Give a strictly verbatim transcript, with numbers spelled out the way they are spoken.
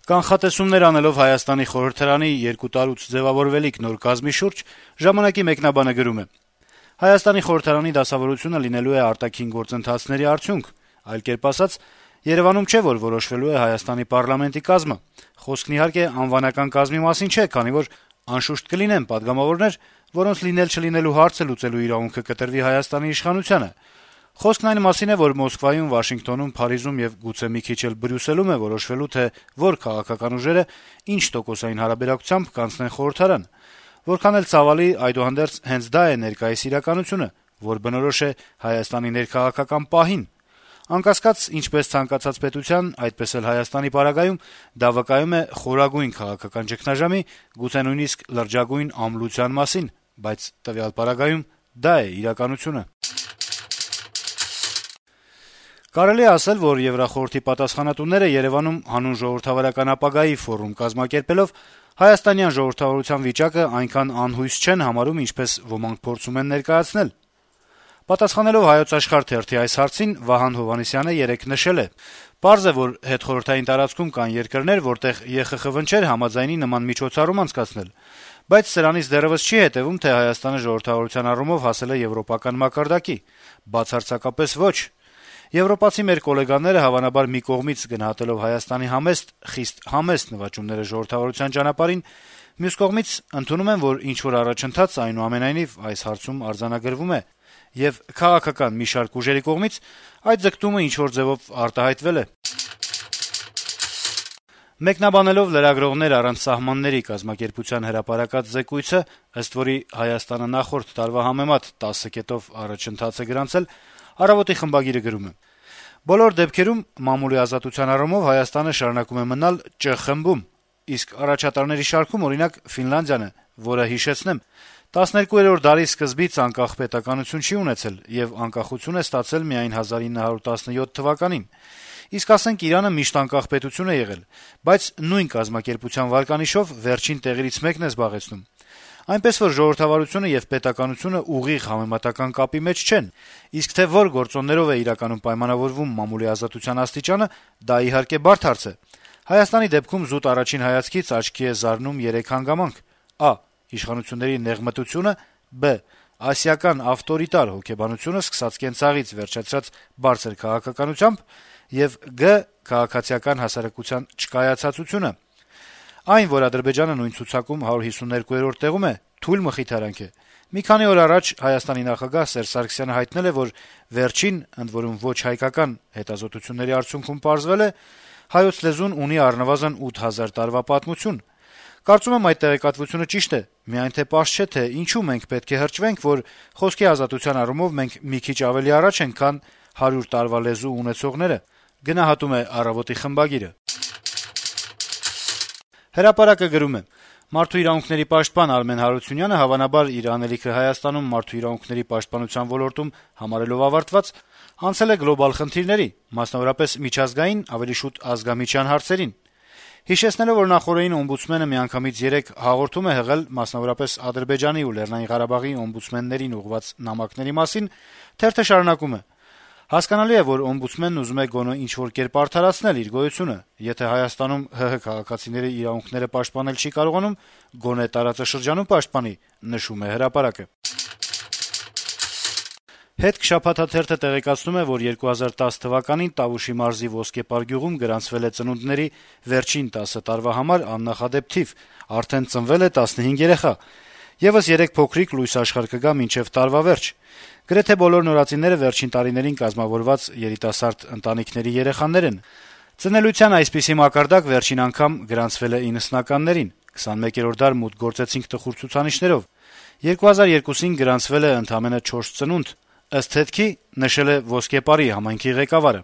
Կանխատեսումներ անելով Հայաստանի խորհրդարանի երկու տարուց ձեւավորվելիք նոր կազմի շուրջ «Ժամանակ»-ի մեկնաբանը գրում է. - «Հայաստանի խորհրդարանի դասավորությունը լինելու է արտաքին գործընթացների արդյունք, այլ կերպ ասած, Երեւանում չէ, որ որոշվելու է Հայաստանի պառլամենտի կազմը: Խոսքն իհարկե անվանական կազմի մասին չէ, քանի որ անշուշտ կլինեն պատգամավորներ, որոնց լինել-չլինելու հարցը լուծելու իրավունքը կտրվի Հայաստանի իշխանությանը: Խոսքն այն մասին է, որ Մոսկվայում, Վաշինգտոնում, Փարիզում եւ գուցե մի քիչ էլ Բրյուսելում է որոշվելու, թե որ քաղաքական ուժերը ինչ տոկոսային հարաբերակցությամբ կանցնեն խորհրդարան: Որքան էլ ցավալի, այդուհանդերձ հենց դա է ներկայիս իրականությունը, որ բնորոշ է Հայաստանի ներքաղաքական պահին: Անկասկած, ինչպես ցանկացած պետության, այդպես էլ Հայաստանի պարագայում դա վկայում է խորագույն քաղաքական ճգնաժամի, գուցե նույնիսկ լրջագույն ամլության մասին, բայց տվյալ պարագայում դա է իրականությունը»: Կարելի է ասել, որ Եվրախորհրդի պատասխանատուները Երեւանում հանուն ժողովրդավարական ապագայի ֆորում կազմակերպելով հայաստանյան ժողովրդավարության վիճակը այնքան անհույս չեն համարում, ինչպես ոմանք փորձում են ներկայացնել: Պատասխանելով «Հայոց Աշխարհ» թերթի այս հարցին Վահան Հովհաննիսյանը երեկ նշել է. - «Պարզ է, որ հետխորհրդային տարածքում կան երկրներ, որտեղ Է Խ Խ Վ-ն չէր համաձայնի նման միջոցառում անցկացնել: Բայց սրանից դեռեւս չի հետեւում, թե Հայաստանը ժողովրդավարության առումով հասել է եվրոպական մակարդակի: Բացարձակապես ոչ: Եվրոպացի մեր գոլեգաները, հավանաբար մի կողմից գնահատելով Հայաստանի համեստ, խիստ համեստ նվաճումները ժողովրդավարության ճանապարհին, մյուս կողմից ընդունում են, որ ինչ-որ առաջընթաց, այնուամենայնիվ, այս հարցում արձանագրվում է, եւ քաղաքական մի շարք ուժերի կողմից այդ ձգտումը ինչ-որ ձեւով արտահայտվել է»: Մեկնաբանելով «Լրագրողներ առանց սահմանների» կազմակերպության հրապարակած զեկույցը, ըստ որի Հայաստանը նախորդ տարվա համեմատ տասը կետով առաջընթաց է գրանցել, «Առավոտ»-ի խմբագիրը գրում է. - «Բոլոր դեպքերում մամուլի ազատության առումով Հայաստանը շարունակում է մնալ Ճ խմբում, իսկ առաջատարների շարքում, օրինակ, Ֆինլանդիան է, որը, հիշեցնեմ, տասներկուերորդ դարի սկզբից անկախ պետականություն չի ունեցել եւ անկախություն է ստացել միայն հազար ինը հարյուր տասնյոթ թվականին: Իսկ, ասենք, Իրանը միշտ անկախ պետություն է եղել, բայց նույն կազմակերպության վարկանիշով վերջին տեղերից մեկն է զբաղեցնում: Այնպես որ ժողովրդավարությունը եւ պետականությունը ուղիղ համեմատական կապի մեջ չեն: Իսկ թե որ գործոններով է իրականում պայմանավորվում մամուլի ազատության աստիճանը, դա, իհարկե, բարդ հարց է: Հայաստանի դեպքում զուտ առաջին հայացքից աչքի է զարնում երեք հանգամանք. Ա. իշխանությունների նեղմտությունը, Բ. ասիական ավտորիտար հոգեբանությունը սկսած կենցաղից վերջացրած բարձր քաղաքականությամբ, եւ Գ. քաղաքացիական հասարակության չկայացածությունը: Այն, որ Ադրբեջանը նույն ցուցակում հարյուր հիսուններկուերորդ տեղում է, թույլ մխիթարանք է: Մի քանի օր առաջ Հայաստանի նախագահ Սերժ Սարգսյանը հայտնել է, որ վերջին, ընդ որում ոչ հայկական, հետազոտությունների արդյունքում պարզվել է` հայոց լեզուն ունի առնվազն ութ հազար տարվա պատմություն: Կարծում եմ, այդ տեղեկատվությունը ճիշտ է, միայն թե պարզ չէ, թե ինչու մենք պետք է հրճվենք, որ խոսքի ազատության առումով մենք մի քիչ ավելի առաջ ենք, քան հարյուր տարվա լեզու ունեցողները»: «Հրապարակ»-ը գրում է. - «Մարդու իրավունքների պաշտպան Արմեն Հարությունյանը, հավանաբար իր անելիքը Հայաստանում մարդու իրավունքների պաշտպանության ոլորտում համարելով ավարտված, անցել է գլոբալ խնդիրների, մասնավորապես միջազգային, ավելի շուտ ազգամիջյան հարցերին: Հիշեցնելով, որ նախօրեին օմբուդսմենը միանգամից երեք հաղորդում է հղել մասնավորապես Ադրբեջանի ու Լեռնային Ղարաբաղի օմբուդսմեններին ուղղված նամակների մասին, թերթը շարունակում է. «Հասկանալի է, որ օմբուդսմենն ուզում է գոնե ինչ-որ կերպ արդարացնել իր գոյությունը: Եթե Հայաստանում ՀՀ քաղաքացիների իրավունքները պաշտպանել չի կարողանում, գոնե տարածաշրջանում պաշտպանի»: «Հետք» շաբաթաթերթը տեղեկացնում է, որ երկու հազար տասը թվականին Տավուշի մարզի Ոսկեպար գյուղում գրանցվել է ծնունդների վերջին տասը տարվա համար աննախադեպ թիվ. արդեն ծնվել է տասնհինգ երեխա: Եվս երեք փոքրիկ լույս աշխարհ կգա մինչեւ տարվա վերջ: Գրեթե բոլոր նորածինները վերջին տարիներին կազմավորված երիտասարդ ընտանիքների երեխաներ են: Ծնելիության այսպիսի մակարդակ վերջին անգամ գրանցվել է իննսունականներին: քսանմեկերորդ դար մուտք գործեցինք տխուր ցուցանիշներով: երկու հազար երկուսին գրանցվել է ընդամենը չորս ծնունդ», ըստ «Հետք»-ի նշել է Ոսկեպարի համայնքի ղեկավարը: